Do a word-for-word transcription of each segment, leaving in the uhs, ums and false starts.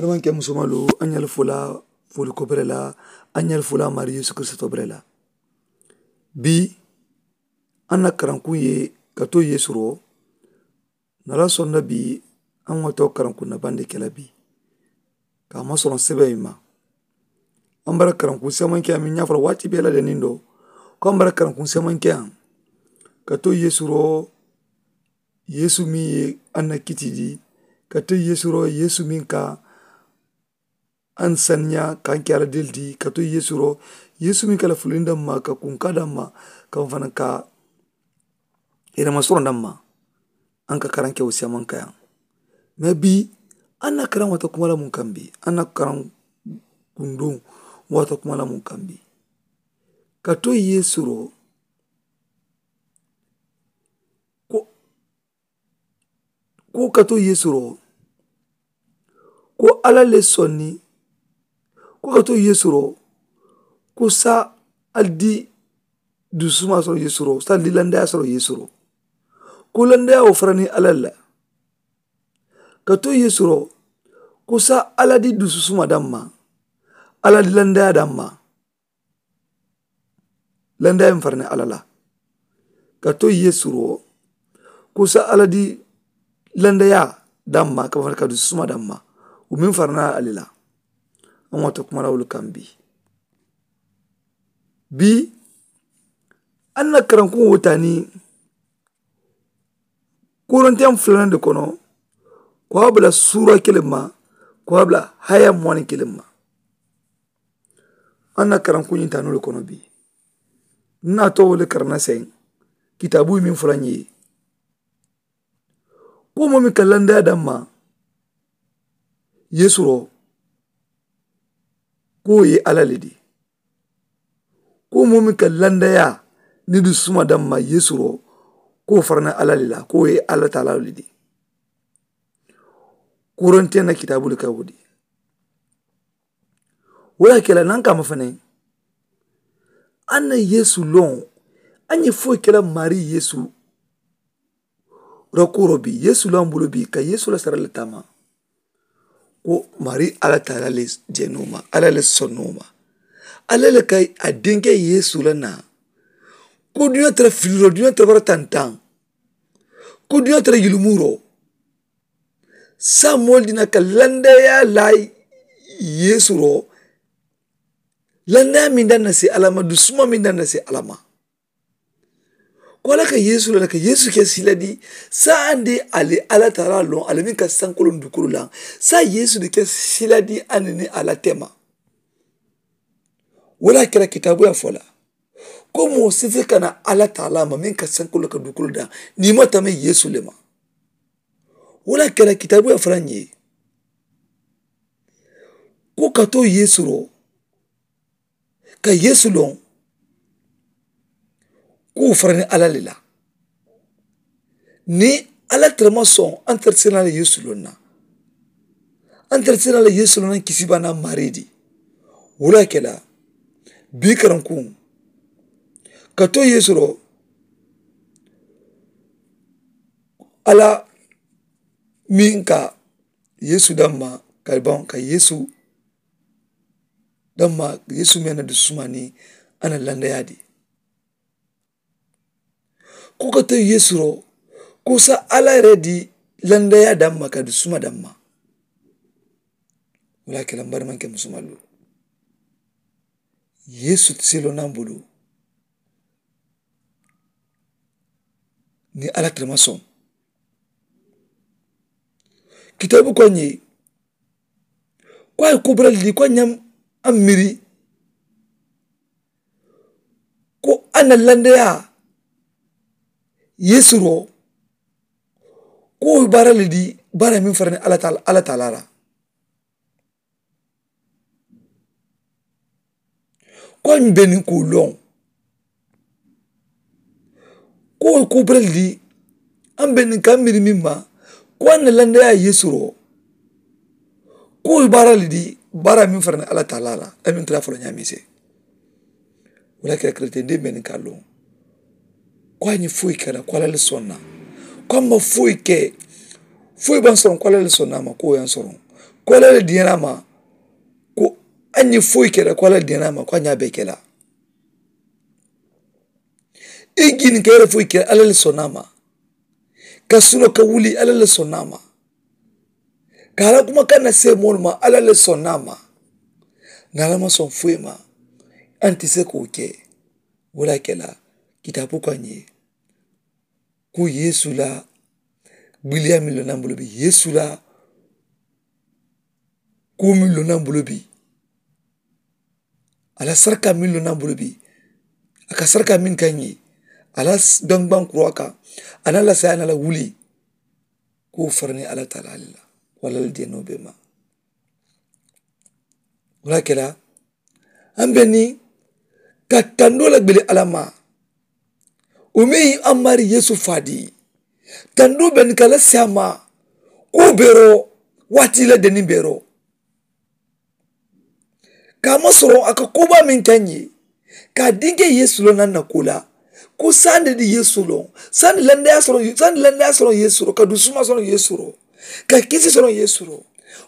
N ke musomalu, a ñali fula fuli kobere la, a ñali fula mari yesu kristo bere la. Bi a na karanku ye ka to yesu ro. Na la sonda bi a ŋo to karanku na bande kela bi. Ka ma sono sebe ma a mbara karanku sema ke a mi ñafala wati bela de nindo. Ko a mbara karanku sema ke a ka to yesu ro. Yesu mi ye a na kitidi ka to yesu ro yesu mi ka an saniya ka an ke ala del di ka to yesu ro. Yesu mi ka la fulinda ma ka kunka da ma ka fana ka ira ma soronda ma. An ka karan ke wo siya man ka yan. Me bi an na karan wata kuma la mun kan bi an na karan kundun wata kuma la mun kan bi ka to yesu ro. Ko ko ka to yesu ro ko ala le sonni. Ko ka to yesu ro ko sa aldi dusuma soro yesu ro sa lilandaya soro yesu ro. Ko landaya wo farani ala la ka to yesu ro ko sa aladi dususuma damma. Aladi landaya damma landaya mi farani ala la ka to yesu ro ko sa aladi landaya damma ka fari ka dususuma damma. Wo mi farana ali la. An wata kuma la wulu kan bi bi an na karanku wo tani. Korintiyaŋ fulaŋ de kono ko a bula suura kiliŋ ma ko a bula haya muwani kiliŋ ma. An na karanku ñiŋ taanoo le kono bi n na to wo le karana seŋ. Kitaabu ye meŋ fulaŋ ye ko moo meŋ ka landaya damma yesu ro ko wo ye alla le di. Ko moo meŋ ka landaya ni dusuma damma yesu ro ko wo farana alla le la ko wo ye alla taala le di. Korontiyaŋ na kitaabu le ka wo di. Wo ye a ke la naŋ kaama fanaŋ a na yesu loŋ. A ñe foyi ke la maarii yesu rakuuroo bii yesu la mbulu bii ka yesu la sara le taama. Ko maarii alla taala le jeenoo ma alla le sonnoo ma. Alla le ka a dinke yesu la naa ko duniyaa tara filiroo duniyaa tara bara tantaŋ. Ko duniyaa tara yilumuuroo saamoolu dina ka landayaa laa yesu roo. Landayaa miŋ daŋ na si alla ma dusuma miŋ daŋ na si alla ma. Ko alla ka yeesu la le ka yeesu ke sila di? Saayiŋ de ali alla taala loŋ ali meŋ ka sankoloŋ dukulu la saayiŋ yeesu de ke sila di aniŋ ni alla tema. Wo le a kela kitaabu ye a fo la ko moo si si kana alla taala ma meŋ ka sankoloŋ ka dukulu daŋ niŋ i ma tama yeesu le ma. Wo le a kela kitaabu ye a fo la ñiŋ ye ko ka to yeesu ro ka yeesu loŋ ko wo farani alla le la. Niŋ alla tara maŋ soŋ a ntara sirina la yeesu loŋ na. A ntara sirina la yeesu loŋ na kisibaana maarii di. Wo le a ke la bii karankuŋ ka to yeesu loŋ alla meŋ ka yeesu damma ka baŋ ka yeesu damma yeesu meŋ na dususumaa niŋ a na landayaa di. Ko ka to yeesu ro ko sa alla yere di landayaa damma ka dusuma damma. Wo le a ke la mbari maŋ ke musumalu yeesu ti silo naŋ bulu. Niŋ alla tama soŋ kitaabu ko a ñe ko a ye kubura li ko a ñam a miri ko a na landayaa yeesu ro ko wo baara le di baara meŋ farani alla taala la. Ko a ñiŋ be niŋ ka wo loŋ ko wo ye kuu bere le di. A be niŋ ka a miiri meŋ ma ko a na landayaa yeesu ro ko wo ye baara le di. Baara meŋ farani alla taala la a meŋ tara fo la ñaamise. Wo la kere keretendee be niŋ ka a loŋ ko a ñiŋ foyi ke la ko alla le sonna. Ko a maŋ foyi ke foyi baŋ soroŋ ko alla le sonna a ma ko wo ye a soroŋ. Ko alla le diyaana a ma. Ko a ŋ ye foyi ke la ko alla le diyaana a ma ko a ŋ ye a bee ke la. I jiini ka yere foyi ke la alla le sonna a ma. Ka suno ka wuli alla le sonna a ma. Ka alla kuma ka na seemoolu ma alla le sonna a ma. Niŋ alla ma soŋ foyi ma a nte se ka wo ke. Wo le a ke la kitaabu ko a ŋ ye. Ko yeesu la biliyaa meŋ loŋ na a bulu bi yeesu la kuwo meŋ loŋ na a bulu bi. A la sarikaa meŋ loŋ na a bulu bi a ka sarikaa meŋ kaŋ ye a la daŋ gbaŋ kuraa kaŋ. A na a la saayaa na a la wuli. Ko wo fara niŋ alla taalaa le la ko alla la diyanoo be ma. Wo le a ke la a mbe niŋ ka tandoo la gbele alla ma. Wo meŋ ye a maarii yeesu faadi tandoo be niŋ ka la saayaa ma. Ko wo beeroo waati la deniŋ beeroo ka a maŋ soroŋ a ka koo baa meŋ ke a ŋ ye. Ka a dinke yeesu loŋ na a na kuu la ko saandi di yeesu loŋ saandi landayaa soroŋ saandi landayaa soroŋ yeesu loŋ ka dusumaa soroŋ yeesu loŋ ka kisi soroŋ yeesu loŋ.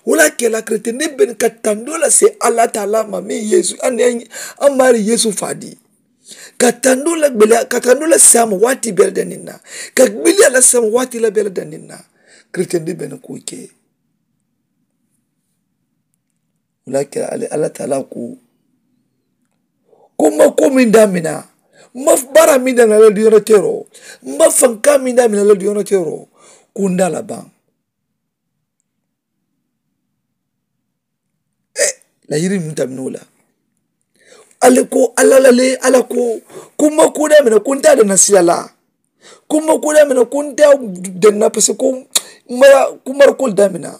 Wo le a ke la keretendiŋ beni ka tandoo la see alla taalaa ma meŋ yeesu a maarii yeesu faadi. Ka tandoo la gbeleyaa ka tandoo la see a ma waati bee la daniŋ na ka gbeleyaa la see a ma waati la bee la daniŋ na. Keretendiŋ beni kuu ke. Wo le a ke la alla taalaa ko ko mma kuwo meŋ daamina mma baaraa meŋ daamina a la duniyaa teeroo mma fankaa meŋ daamina a la duniyaa teeroo. Ko n daa la baŋ. Lahirii meŋ tamina wo la. Ali ko alla la le alla ko ko mma kuwo daamina ko n te a danna sila la. Ko mma kuwo daamina ko n te a danna pase ko mara ko mara kuwo le daamina.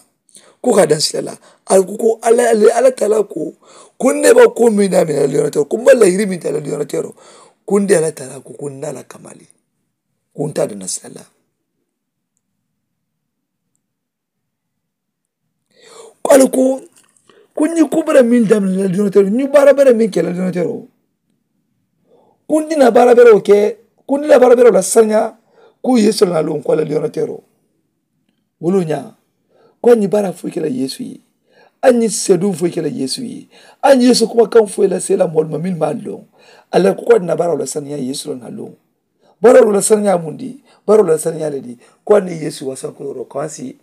Ko ka a daŋ sila la. Ali ko ko alla le alla taalaa ko ko n ne ba kuwo meŋ daamina a la duniyaa teeroo ko mma lahirii meŋ te a la duniyaa teeroo. Ko n de alla taalaa ko ko n na a la kamali. Ko n te a danna sila la. Ko ali ko ko ñiŋ kuwo bere meŋ daminita la duniyaa teeroo ñiŋ baara bere meŋ ke la duniyaa teeroo. Ko n dina baara bere wo ke ko n dina baara bere wo la sariñaa. Ko yeesu la naa loŋ ko a la duniyaa teeroo. Wo le wo ñaa ko a ñiŋ baara foyi ke la yeesu ye. A ñiŋ seeduŋ foyi ke la yeesu ye. A ñiŋ yeesu kumakaŋ foyi la seela moolu ma meŋ maŋ a loŋ. A la ko ko a dina baara wo la sariñaa yeesu la naa loŋ. Baaroo la sariñaa mundi baaroo la sariñaa le di. Ko a niŋ yeesu wasankulooroo ko a si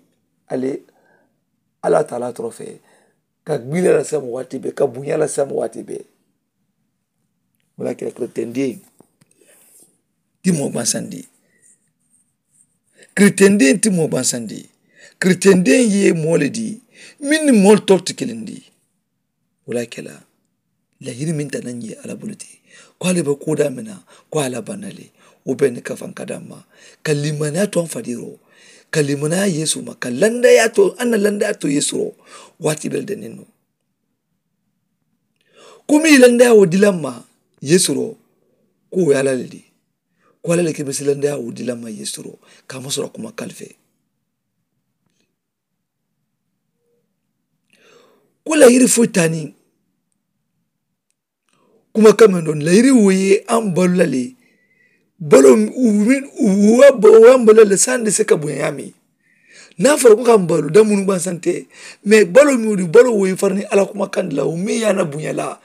ale alla taalaa torofe ka gbiila la semu waati be ka buña la semu waati be. Wala ke la keretendiŋ ti moo bansandi. Keretendiŋ ti moo bansandi. Keretendiŋ ye moo le di meŋ ni moolu tolu ti kiliŋ di. Wo le ye a ke la layiri meŋ tanaŋ ye alla bulu ti ko ali be kuu daamiŋ na ko a la banna le. Wo be ni kafaŋ ka damma ka limanaa to a fadiiroo ka limanaa yeesu ma ka landayaa to a na landayaa to yeesu ro. Waati be le daniŋ no ko meŋ ye landayaa wo dila ma yeesu ro. Ko wo ye alla le di ko alla le ke be si landayaa wo dila ma yeesu ro ka a ma sura kuma kalife. Ko layiri foyi taa niŋ kuma kaŋ meŋ doŋ layiri wo ye a mu balu la le. Baloo wo ye a mu balu la le saayiŋ de se ka buña ñaameŋ. Niŋ a fara ko ka a mu balu daŋ munu gbaŋ sante mee baloo meŋ wo di baloo wo ye fara niŋ alla kuma kaŋ di la wo meŋ ye a na buña la.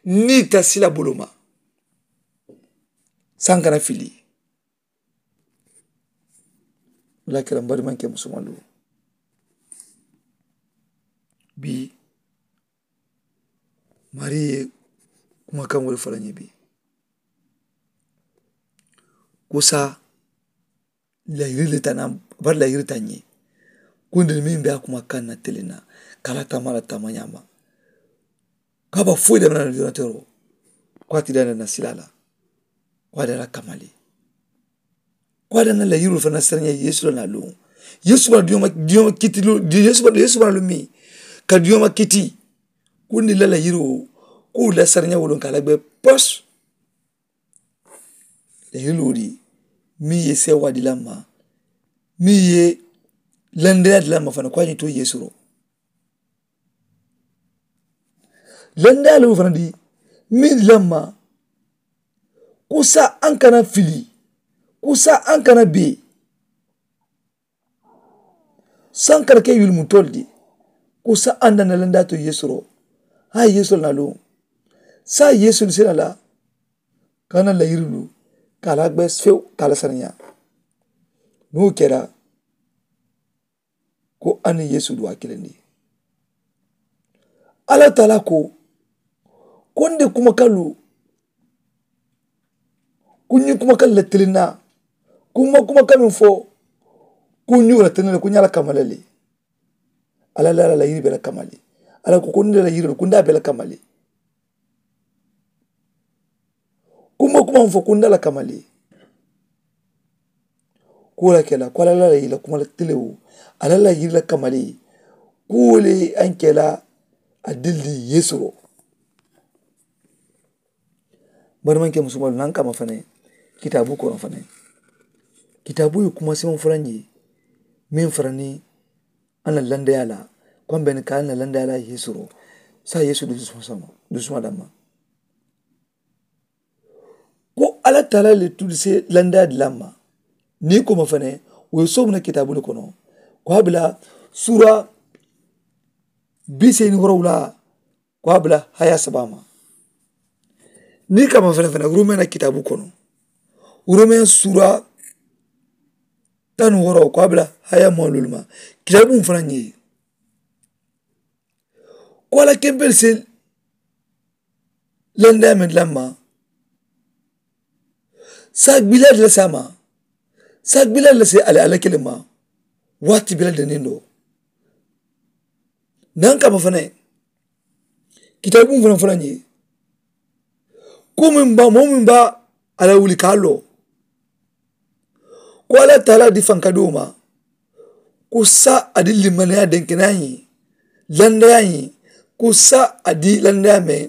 Niŋ i ta sila baloo ma saayiŋ kana fili. Wala kira n barimaŋ ke musumaŋ doo bii maarii ye kumakaŋ wolu fo la ñiŋ bii. Kusa layiri le tana bari layiri taŋ ñiŋ kundi meŋ be a kumakaŋ na tele na ka a la tama la tama ñaama. Ka a ba foyi dama na la diyona tero ko a ti dana na sila la ko a dana kamali. Ko a dana la yiro fana sariya yesu la na luŋ. Yesu ba diyoma diyoma kiti lu yesu ba yesu ba lu mi ka diyoma kiti. Kundi la la yiro ko la sariya wulun ka la be pos. La yiro di mi ye sewa di la ma mi ye landeya di la ma fana ko a ñi to yesu ro. Lendaalu fana di meŋ lamma kusa aŋ kana fili kusa aŋ kana bee. Saŋ kana ke yulumutolu di Ko saayiŋ a na landaa to yeesu ro, haa yeesu la na luŋ saayiŋ yeesu li sena la ka na layirilu ka a la gbe few ka a la saniyaa. Niŋ wo kera ko a niŋ yeesu duwaa kilindi. Alla taala ko, ko n de kumakalu, ko n ñiŋ kumakalu le tiliŋ na. Ko n ma kumaka meŋ fo, ko n ñiŋ wo le tiliŋ na le ko n ñaa la kamale le. Alla la la yiri be la kamale. Alla ko ko n de la yiri ko n de a be la kamale. Kuma kuma n fo ko n de a la kamale. Ko wo le ke la ko alla la yiri la kuma la tiliŋ wo, alla la yiri la kamale. Ko wo le a n ke la a dili di yeesu ro. Bari maŋ ke musumalu naŋ kama fanaŋ kitaabu kono fanaŋ. Kitaabu ye kuma simaŋ fanaŋ ye meŋ fanaŋ ni a na landeyaa la ko a be ni ka a na landeyaa la yeesu ro. Saayiŋ yeesu dusuma sama dusuma damma. Ko alla taala le tuli se landeyaa di la ma. Niŋ i koma fanaŋ wo ye soomu na kitaabu le kono. Ko a bila suura biseeni woorowula ko a bila haya saba ma. Niŋ i kama fanaŋ fanaŋ romeŋ na kitaabu kono romeŋ suura tanu wooro ko a bila haya moolu ma. Kitaabu fanaŋ ye ko alla kempelu se landeyaa meŋ di la ma. Saa gbilaa di la se a ma. Saa gbilaa di la se alla kiliŋ ma. Waati bela daniŋ doo naŋ kama fanaŋ kitaabu fanaŋ fanaŋ ye ko meŋ ba moo meŋ ba alla wuli ka a loo. Ko alla taala di fankadiwo ma ko saa a di limaniyaa denkeneyaa ye landeyaa ye ko saa a di landeyaa meŋ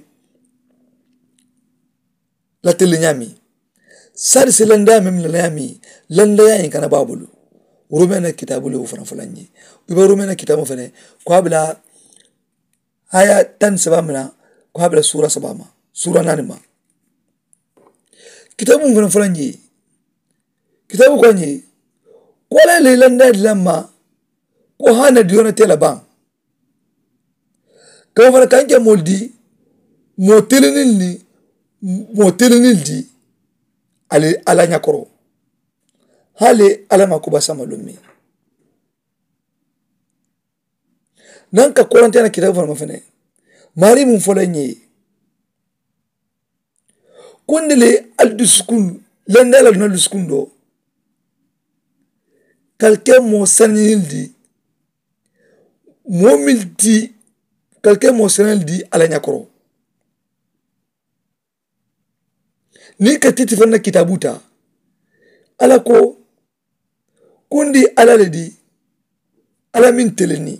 la tele ñaami. Sari si landeyaa meŋ la ñaami landeyaa ñiŋ kana baabulu. Romeŋ na kitaabu le wo fanaŋ fanaŋ ñiŋ i be romeŋ na kitaabu fanaŋ ko a bila haya taŋ saba mina ko a bila suura saba ma suura naani ma. Kitaabu fanaŋ fanaŋ ñiŋ kitaabu ko a ñiŋ ko a la i landeyaa di la ma ko haana diyoona te la baŋ. Ka wo fanaŋ ka n ke moolu di moo teliniŋ ni moo teliniŋ di ali alla ñakoro. Hali alla maa kuba sama luŋ meŋ naŋ ka koronteya na kitaabu fanaŋ ma fanaŋ maarii muŋ fo la ñee. Kundi le ali dusukuŋ landeyaa la duna dusukuŋ doo ka ali ke moo saniyindi. Moo meŋ ti ka ali ke moo saniyindi alla ñakoro. Niŋ ka titi fanaŋ na kitaabu taa alla ko kundi alla le di alla meŋ teleni.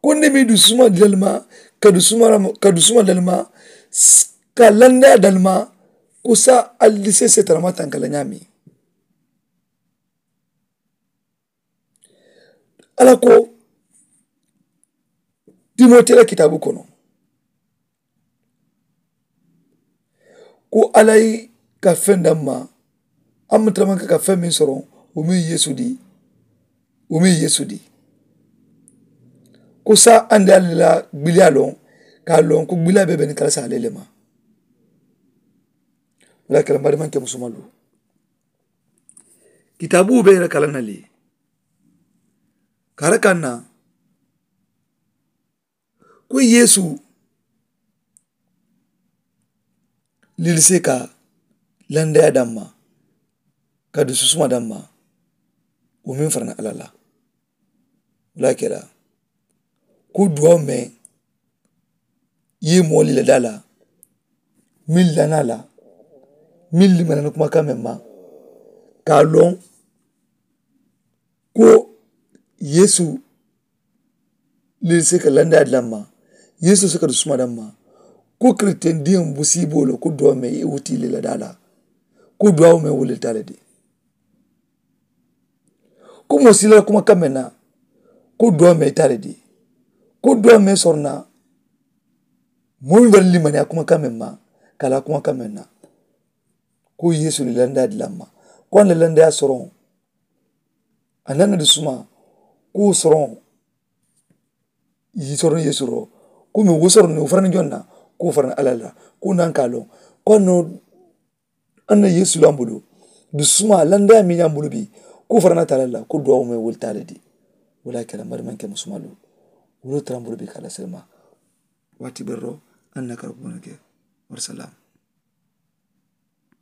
Kundi meŋ dusuma dalima ka dusuma ka dusuma dalima ka landeyaa dalima kusa ali di se setanama tankala ñaami. Alla ko timote la kitaabu kono ko alla ye ka feŋ damma a mu tara maŋ ka ka feŋ meŋ soroŋ wo meŋ yeesu di. Wo meŋ yeesu di ko saa andi alla la gbiliyaa loŋ ka a loŋ ko gbiliyaa be be niŋ kala saa lele ma. Wala kala mari maŋ ke musumalu kitaabu be ira kala na le kara kaŋ na ko yeesu lilise ka landeyaa damma ka dususuma damma. Wo meŋ farana alla la wala kela ko duwawu meŋ ye moo lila daa la meŋ lana la meŋ limana ni kumakaŋ meŋ ma ka a loŋ ko yeesu lili si ka landaa di la ma yeesu si ka dusuma daŋ ma ko kiristiyen diŋ busiiboo le ko duwaa meŋ i wutii le la daa la ko duwaa meŋ wulita le di. Ko moo si la kumakaŋ meŋ na ko duwaa meŋ ita le di ko duwaa meŋ soroŋ na moo meŋ bari limaniyaa kumakaŋ meŋ ma ka la kumakaŋ meŋ na ko yeesu le landaa di la ma ko a na landaa soroŋ. A nana di suma ko soroŋ yi soroŋ yesu ro ko mi wo soroŋ ni wo farani jonna ko farani alalla ko nan ka loŋ ko no anna yesu lambulu di suma landa mi lambulu bi ko farana talalla ko duwa wo me wol taladi wala kala mari man ke musuma lu wolo trambulu bi kala selma wati berro anna karbuna ke. Wa salam.